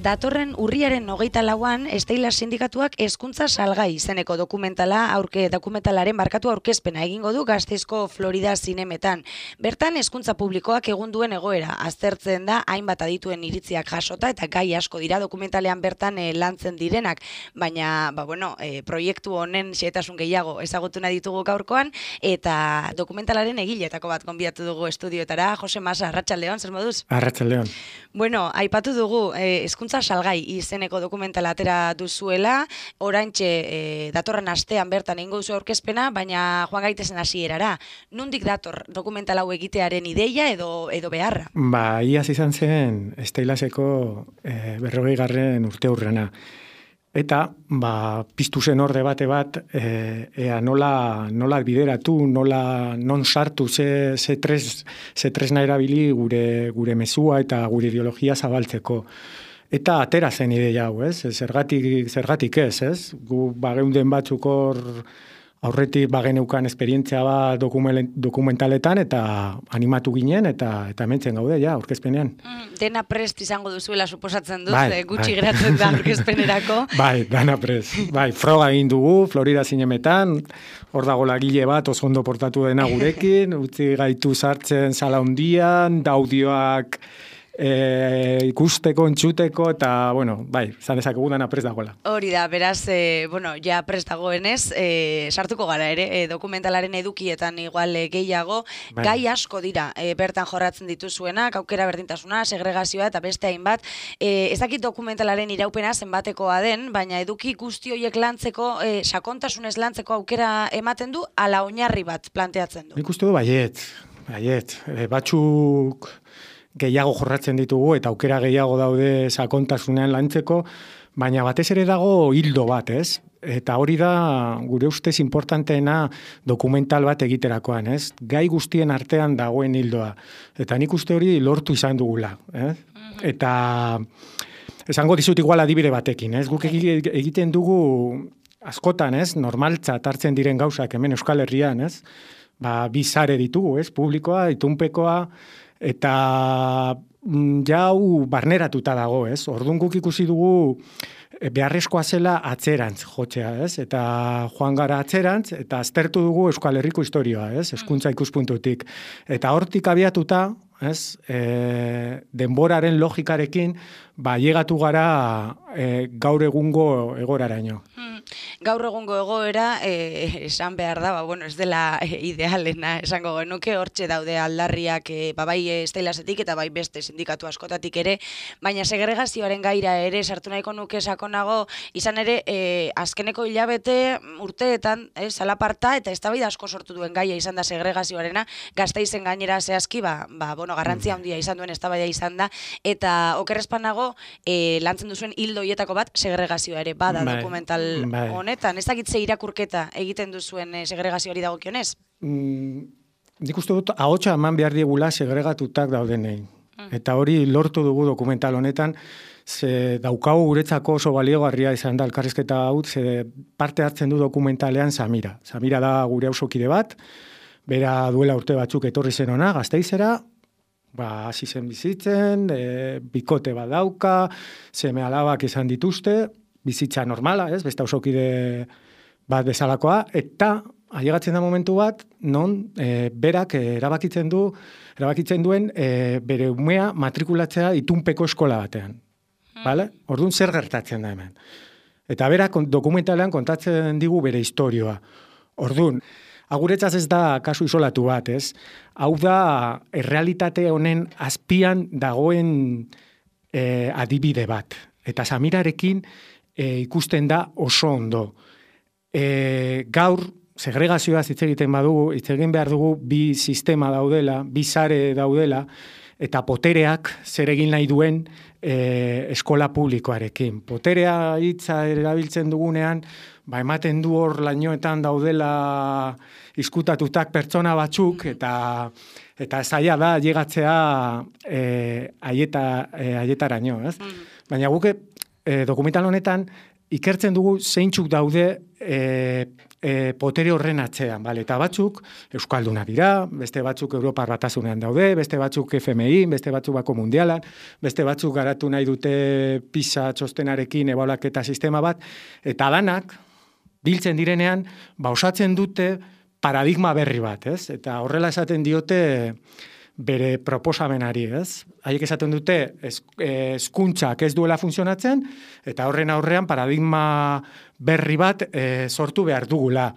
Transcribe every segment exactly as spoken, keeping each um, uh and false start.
datorren urriaren hogeita lauan Stella sindikatuak hezkuntza salgai izeneko dokumentala aurke dokumentalaren barkatu aurkezpena egingo du Gasteizko Florida Zinemetan. Bertan hezkuntza publikoak egun duen egoera aztertzen da, hainbat adituen iritziak jasota eta gai asko dira dokumentalean bertan e, lantzen direnak, baina ba, bueno, e, proiektu honen xehetasun gehiago ezagutu nahi ditugu gaurkoan eta dokumentalaren egiletako bat gonbidatu dugu estudioetara. Jose Masa, arratsaldeon, zer moduz? Arratsaldeon. Bueno, aipatu dugu eh, hezkuntza salgai izeneko dokumentala atera duzuela, oraintxe eh, datorren astean bertan egingo duzu aurkezpena, baina joan gaitezen hasierara. Nondik dator dokumental hau egitearen ideia edo edo beharra? Ba, iaz izan zen Stellaseko eh, berrogei garren urte hurrena. Eta, ba, piztu zen hor debate bat, e, ea nola, nola bideratu, nola non sartu, ze, ze, tres, ze tresna erabili gure, gure mezua eta gure ideologia zabaltzeko. Eta atera zen ideia hau, ez? Zergatik, zergatik ez, ez? Gu bageunden batzuk hor aurretik bageneukan esperientzia bat dokumentaletan eta animatu ginen eta eta hementzen gaude ja aurkezpenean. Mm, dena prest izango duzuela suposatzen dut, bai, gutxi bai. geratzen da aurkezpenerako. Bai, dana prest. Bai, froga egin dugu Florida Zinemetan, hor dago lagile bat oso ondo portatu dena gurekin, utzi gaitu sartzen sala hundian, daudioak E, ikusteko, entzuteko, eta, bueno, bai, zan dezakegu dana prest dagoela. Hori da, beraz, e, bueno, ja prest dagoenez, e, sartuko gara ere, e, dokumentalaren edukietan igual e, gehiago, bai. Gai asko dira, e, bertan jorratzen dituzuenak, aukera berdintasuna, segregazioa eta beste hainbat, e, ez dakit dokumentalaren iraupena zenbatekoa den, baina eduki guzti horiek lantzeko, e, sakontasunez lantzeko aukera ematen du, ala oinarri bat planteatzen du. Nik uste du baiet, baiet, e, batzuk gehiago jorratzen ditugu eta aukera gehiago daude sakontasunean lantzeko, baina batez ere dago hildo bat, ez? Eta hori da gure ustez importanteena dokumental bat egiterakoan, ez? Gai guztien artean dagoen hildoa. Eta nik uste hori lortu izan dugula, eh? Eta esango dizut igual adibide batekin, ez? Guk egiten dugu askotan, ez? Normaltzat hartzen diren gauzak hemen Euskal Herrian, ez? Ba, bi sare ditugu, ez? Publikoa, itunpekoa, eta jau barneratuta dago, ez? Orduan guk ikusi dugu beharrezkoa zela atzerantz jotzea, ez? Eta joan gara atzerantz, eta aztertu dugu Euskal Herriko historioa, ez? Hezkuntza ikuspuntutik. Eta hortik abiatuta, ez? E, denboraren logikarekin, ba, llegatu gara e, gaur egungo egoraraino. Hmm. Gaur egungo egoera, eh, esan behar da, ba, bueno, ez dela eh, idealena, esango genuke, hortxe daude aldarriak, eh, ba, bai Stellasetik eta bai beste sindikatu askotatik ere, baina segregazioaren gaira ere sartu nahiko nuke sakonago, izan ere, eh, azkeneko hilabete urteetan, eh, salaparta eta eztabaida asko sortu duen gaia izan da segregazioarena, Gasteizen gainera zehazki, ba, ba, bueno, garrantzia handia izan duen eztabaida izan da, eta okerrezpanago, eh, lantzen duzuen hildo hietako bat segregazioa ere bada bai, dokumental bai. Honetan, ez dakitze irakurketa egiten duzuen eh, segregazioari dagokionez? Mm, nik uste dut, ahotsa eman behar diegula segregatutak daudenei. Mm. Eta hori lortu dugu dokumental honetan, ze daukagu guretzako oso baliogarria izan da elkarrizketa hau, ze parte hartzen du dokumentalean Samira. Samira da gure auzokide bat, bera duela urte batzuk etorri zen ona, Gasteizera, ba, hasi zen bizitzen, e, bikote bat dauka, seme alabak izan dituzte, bizitza normala, ez, beste auzokide bat bezalakoa, eta ailegatzen da momentu bat, non e, berak erabakitzen du, erabakitzen duen e, bere umea matrikulatzea itunpeko eskola batean. Hmm. Vale? Orduan zer gertatzen da hemen. Eta berak dokumentalean kontatzen digu bere istorioa. Orduan, aguretzaz ez da kasu isolatu bat, ez? Hau da, errealitate honen azpian dagoen e, adibide bat. Eta Samirarekin E, ikusten da oso ondo. E, gaur, segregazioaz hitz egiten badugu, hitz egin behar dugu bi sistema daudela, bi sare daudela, eta potereak zer egin nahi duen e, eskola publikoarekin. Poterea hitza erabiltzen dugunean, ba, ematen du hor lainoetan daudela izkutatutak pertsona batzuk, eta eta zaila da llegatzea e, aieta, e, aietaraino, ez? Mm. Baina guke, E, dokumental honetan ikertzen dugu zeintzuk daude e, e, potere horren atzean, bale? Eta batzuk Euskalduna dira, beste batzuk Europar Batasunean daude, beste batzuk F M I, beste batzuk Bako Mundialan, beste batzuk garatu nahi dute PISA txostenarekin ebaluaketa sistema bat, eta danak biltzen direnean, ba osatzen dute paradigma berri bat, ez? Eta horrela esaten diote bere proposamenari, ez? Haiek esaten dute hezkuntzak ez duela funtzionatzen, eta horren aurrean paradigma berri bat e, sortu behar dugula.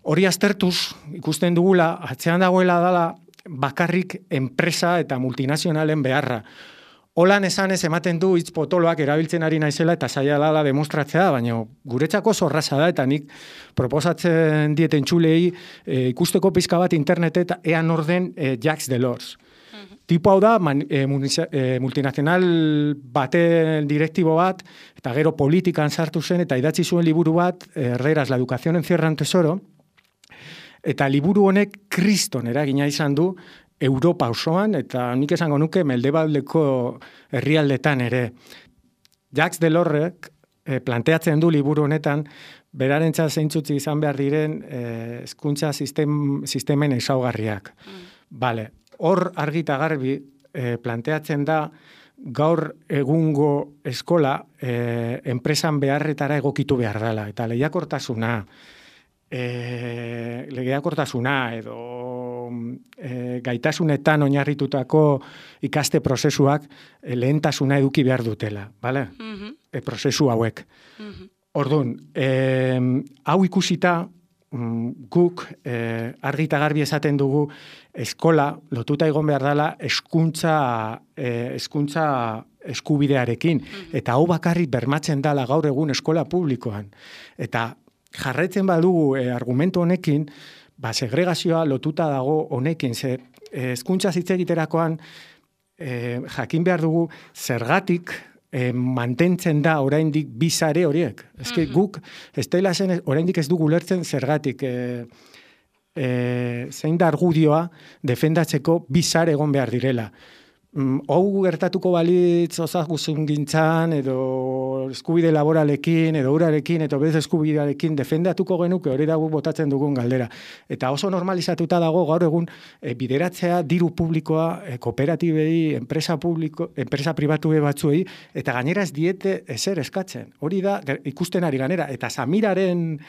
Hori aztertuz, ikusten dugula, atzean dagoela dela bakarrik enpresa eta multinazionalen beharra. Holan esanez ematen du hitz potoloak erabiltzen ari naizela eta saia dela demostratzea, baina guretzako zorraza da eta nik proposatzen dieten txulei e, ikusteko pizka bat internetet ean orden e, Jacques Delors. Uh-huh. Tipo hau da man, e, multinazional baten direktibo bat eta gero politikan sartu zen eta idatzi zuen liburu bat, Herreras, la educación encierra un tesoro, eta liburu honek kriston eragina izan du Europa osoan, eta nik esango nuke mendebaldeko herrialdetan ere. Jacques Delorsek eh, planteatzen du liburu honetan, berarentzat zeintzutzi izan behar diren hezkuntza eh, sistem, sistemen ezaugarriak. Mm. Vale. Hor argita garbi eh, planteatzen da gaur egungo eskola eh, enpresan beharretara egokitu behar dela, eta lehiakortasuna, E, legeakortasuna edo e, gaitasunetan oinarritutako ikaste prozesuak e, lehentasuna eduki behar dutela, bale? Mm-hmm. E, prozesu hauek. Mm-hmm. Orduan, e, hau ikusita guk e, argi eta garbi esaten dugu eskola lotuta egon behar dela hezkuntza e, hezkuntza eskubidearekin, mm-hmm. eta hau bakarrik bermatzen dela gaur egun eskola publikoan. Eta jarraitzen badugu eh, argumentu honekin, ba, segregazioa lotuta dago honekin, ze hezkuntza hitz egiterakoan eh, jakin behar dugu zergatik eh, mantentzen da oraindik bi sare horiek. Eske mm-hmm. guk ez dela zen oraindik ez dugu lertzen zergatik eh, eh, zein da argudioa defendatzeko bi sare egon behar direla. Hau gertatuko balitz osasungintzan edo eskubide laboralekin edo urarekin edo bez eskubidearekin defendatuko genuke, hori dago botatzen dugun galdera. Eta oso normalizatuta dago gaur egun e, bideratzea diru publikoa e, kooperatibei, enpresa publiko, enpresa pribatue batzuei, eta gainera ez diete ezer eskatzen. Hori da ikusten ari ganera, eta Samiraren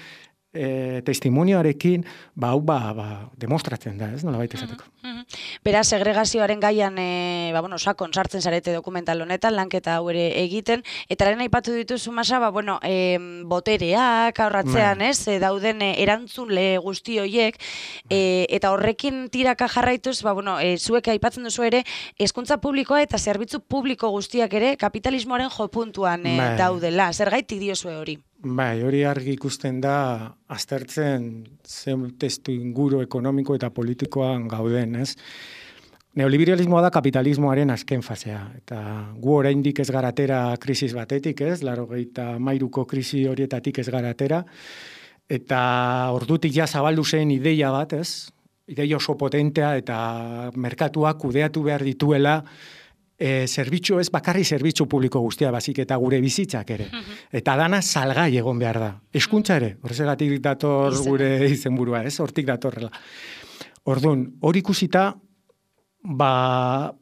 E, testimonioarekin ba hau ba, ba demostratzen da, ez? Nolabait esateko. Mm -hmm. Beraz, segregazioaren gaian e, ba bueno, sakon sartzen zarete dokumental honetan lanketa hau ere egiten eta lehen aipatu dituzu Masa, ba bueno, e, botereak aurratzean, ez? E, dauden e, erantzule guzti hoiek e, eta horrekin tiraka jarraituz, ba bueno, e, zuek aipatzen duzu ere hezkuntza publikoa eta zerbitzu publiko guztiak ere kapitalismoaren jopuntuan e, daudela. Zergaitik diozue hori? Bai, hori argi ikusten da aztertzen zen testu inguru ekonomiko eta politikoan gauden, ez? Neoliberalismoa da kapitalismoaren azken fasea, eta gu oraindik ez garatera krisis batetik, ez? Laurogeita hamairuko krisi horietatik ez garatera, eta ordutik ja zabaldu zen ideia bat, ez? Ideia oso potentea eta merkatuak kudeatu behar dituela, E, zerbitzu ez bakarri zerbitzu publiko guztia bazik eta gure bizitzak ere. Eta dana salgai egon behar da. Hezkuntza ere, horregatik dator gure izenburua, ez? Hortik datorrela. Orduan, hori ikusita, ba,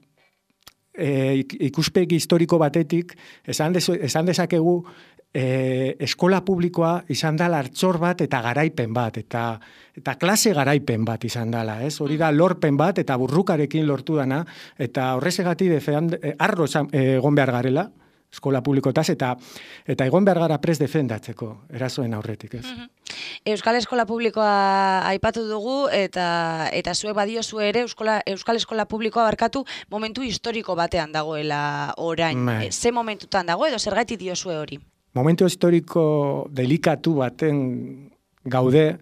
e, ikuspegi historiko batetik, esan, dezu, esan dezakegu, e, eskola publikoa izan da lartzor bat eta garaipen bat, eta eta klase garaipen bat izan dela, ez? Hori da lorpen bat eta burrukarekin lortu dana, eta horrezegati defend, e, arro egon behar garela, eskola publikotaz, eta eta egon behar gara prest defendatzeko, erasoen aurretik, ez? Mm-hmm. Euskal Eskola Publikoa aipatu dugu, eta eta zuek badiozu ere Euskala, Euskal Eskola Publikoa barkatu momentu historiko batean dagoela orain. E, ze momentutan dago edo zergatik diozue hori? Momentu historiko delikatu baten gaude,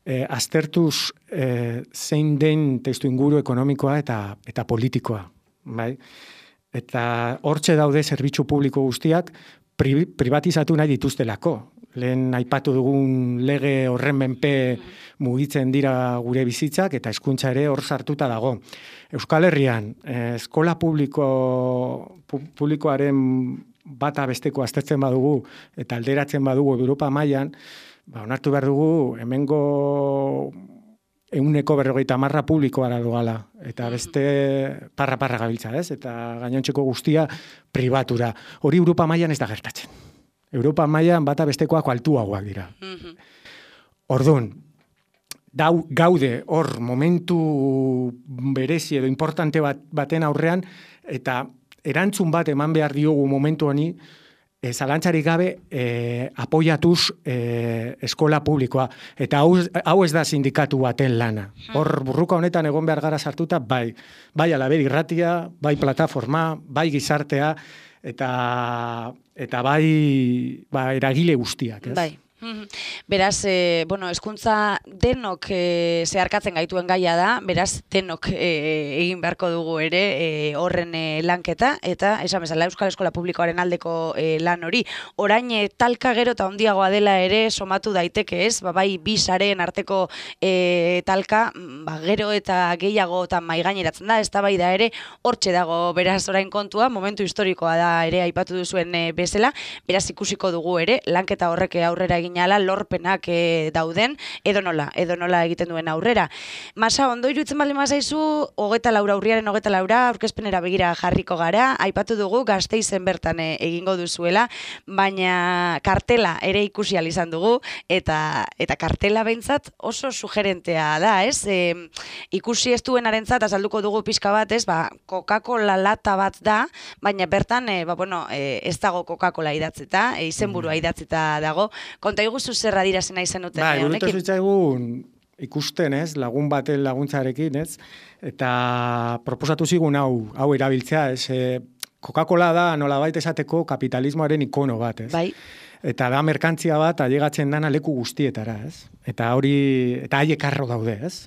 eh, aztertuz eh, zein den testu inguru ekonomikoa eta eta politikoa, bai? Eta hortxe daude zerbitzu publiko guztiak pri, privatizatu nahi dituztelako. Lehen aipatu dugun lege horren menpe mugitzen dira gure bizitzak eta hezkuntza ere hor sartuta dago. Euskal Herrian, eh, eskola publiko, pu, publikoaren bata besteko aztertzen badugu eta alderatzen badugu Europa mailan, ba, onartu behar dugu, hemengo euneko berrogeita marra publikoa da dugala, eta beste parra-parra gabiltza, ez? Eta gainontzeko guztia pribatura. Hori Europa mailan ez da gertatzen. Europa mailan bata bestekoak altuagoak dira. Orduan, Dau, gaude hor momentu berezi edo importante bat, baten aurrean, eta erantzun bat eman behar diogu momentu honi, e, zalantzarik gabe e, apoiatuz e, eskola publikoa. Eta hau, hau ez da sindikatu baten lana. Hor burruka honetan egon behar gara sartuta, bai, bai alaber irratia, bai plataforma, bai gizartea, eta, eta bai ba, eragile guztiak. Ez? Bai. Beraz, e, bueno, hezkuntza denok e, zeharkatzen gaituen gaia da, beraz, denok e, egin beharko dugu ere e, horren e, lanketa, eta esan bezala Euskal Eskola Publikoaren aldeko e, lan hori. Orain e, talka gero eta handiagoa dela ere somatu daiteke, ez? Ba, bai, bi sareen arteko e, talka, ba, gero eta gehiago eta maigaineratzen da, ez da bai da ere, hortxe dago, beraz, orain kontua, momentu historikoa da ere aipatu duzuen e, bezala, beraz, ikusiko dugu ere, lanketa horrek aurrera egin ala lorpenak e, dauden, edo nola, edo nola egiten duen aurrera. Masa, ondo iruditzen baldin mazaizu, hogeta laura, urriaren hogeta laura, aurkezpenera begira jarriko gara, aipatu dugu Gasteizen bertan e, egingo duzuela, baina kartela ere ikusi ahal izan dugu, eta eta kartela behintzat oso sugerentea da, ez? E, ikusi ez duenarentzat azalduko dugu pixka bat, ez? Ba, Coca-Cola lata bat da, baina bertan, e, ba, bueno, e, ez dago Coca-Cola idatzita, e, izenburua idatzita dago. Konta iguzu zer adirazen nahi zenuten bai, honekin? Bai, zitzaigun ikusten, ez, lagun baten laguntzarekin, ez, eta proposatu zigun hau, hau erabiltzea, ez, e, Coca-Cola da nolabait esateko kapitalismoaren ikono bat, ez. Bai. Eta da merkantzia bat ailegatzen dana leku guztietara, ez. Eta hori, eta haiek arro daude, ez.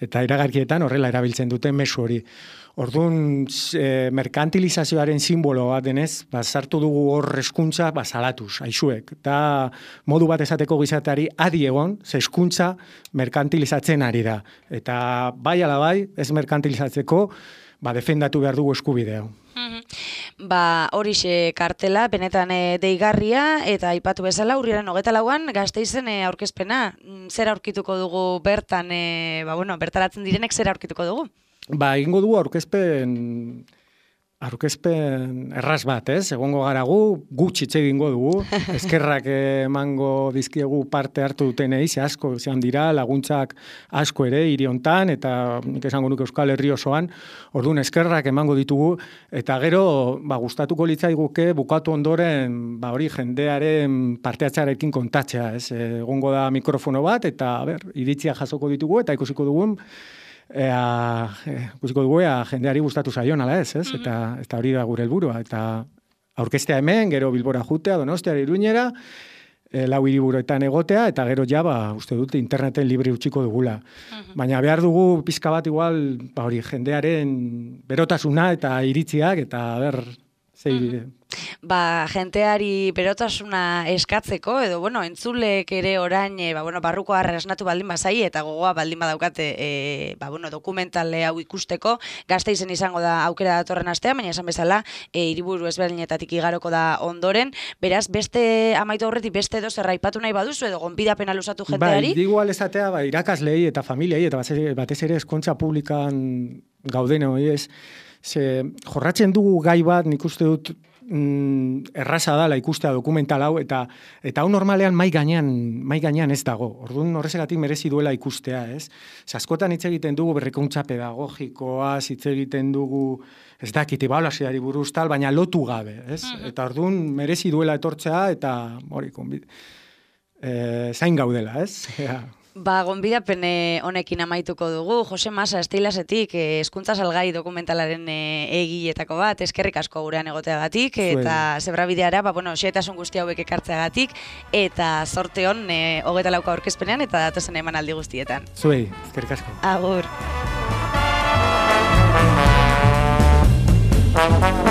Eta iragarkietan horrela erabiltzen duten mezu hori. Orduan, e, merkantilizazioaren simbolo bat denez, ba, sartu dugu hor hezkuntza ba, salatuz, aizuek. Eta modu bat esateko gizateari adi egon, ze hezkuntza merkantilizatzen ari da. Eta bai ala bai, ez merkantilizatzeko, ba, defendatu behar dugu eskubidea. Ba, horixe kartela, benetan e, deigarria, eta aipatu bezala, urriaren hogeta lauan, Gasteizen e, aurkezpena. Zer aurkituko dugu bertan, e, ba, bueno, bertaratzen direnek zer aurkituko dugu? Ba, egingo dugu aurkezpen, aurkezpen erraz bat, ez? Egongo gara gu, gutxi hitz egingo dugu, eskerrak emango dizkiegu parte hartu dutenei, ze asko zean dira, laguntzak asko ere, hiri hontan, eta nik esango nuke Euskal Herri osoan, orduan eskerrak emango ditugu, eta gero, ba, gustatuko litzaiguke bukatu ondoren, ba, hori jendearen parteatzearekin kontatzea, ez? Egongo da mikrofono bat, eta, ber, iritzia jasoko ditugu, eta ikusiko dugun, Ea, ikusiko dugu, ea, jendeari gustatu zaion, ala ez, ez? Eta, eta hori da gure helburua. Eta aurkeztea hemen, gero Bilbora jutea, Donostiara, Iruñera, e, lau hiriburuetan egotea, eta gero ja, ba, uste dut, interneten libre utziko dugula. Baina behar dugu pizka bat igual, ba, hori, jendearen berotasuna eta iritziak, eta ber, zei bide. Ba, jenteari berotasuna eskatzeko, edo, bueno, entzulek ere orain, e, ba, bueno, barruko harra esnatu baldin bazai, eta gogoa baldin badaukate, e, ba, bueno, dokumentale hau ikusteko, Gasteizen izango da aukera datorren astea, baina esan bezala, e, hiriburu ezberdinetatik igaroko da ondoren, beraz, beste amaitu aurretik beste edo zer aipatu nahi baduzu, edo gonbidapena luzatu jenteari? Bai, digu alezatea, ba, irakaslei eta familiai, eta batez ere eskontza publikan gauden hori ez, ze jorratzen dugu gai bat, nik uste dut, Mm, erraza dala ikustea dokumental hau, eta eta hau normalean mai gainean, mai gainean ez dago. Orduan horrezegatik merezi duela ikustea, ez? Askotan hitz egiten dugu berrikuntza pedagogikoa, hitz egiten dugu ez dakit ebaluazioari buruz tal, baina lotu gabe, ez? Uh-huh. Eta orduan merezi duela etortzea, eta hori konbit, e, zain gaudela, ez? Ja. Ba, gonbidapen honekin amaituko dugu. Jose Masa, Esteilasetik, hezkuntza salgai dokumentalaren egiletako bat, eskerrik asko gurean egoteagatik, eta zebrabideara, ba, bueno, xeetasun guzti hauek ekartzeagatik, eta zorte hon, e, hogeta lauka aurkezpenean, eta datozen emanaldi guztietan. Zuei, eskerrik asko. Agur. Yeah.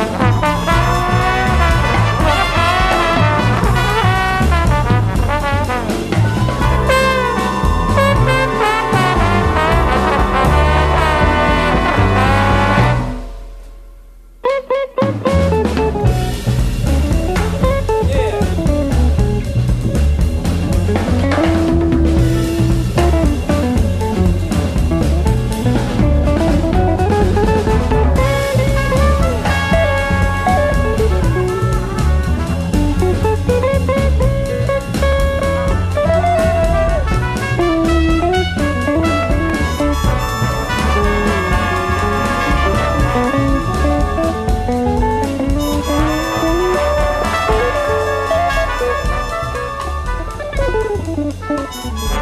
Thank you.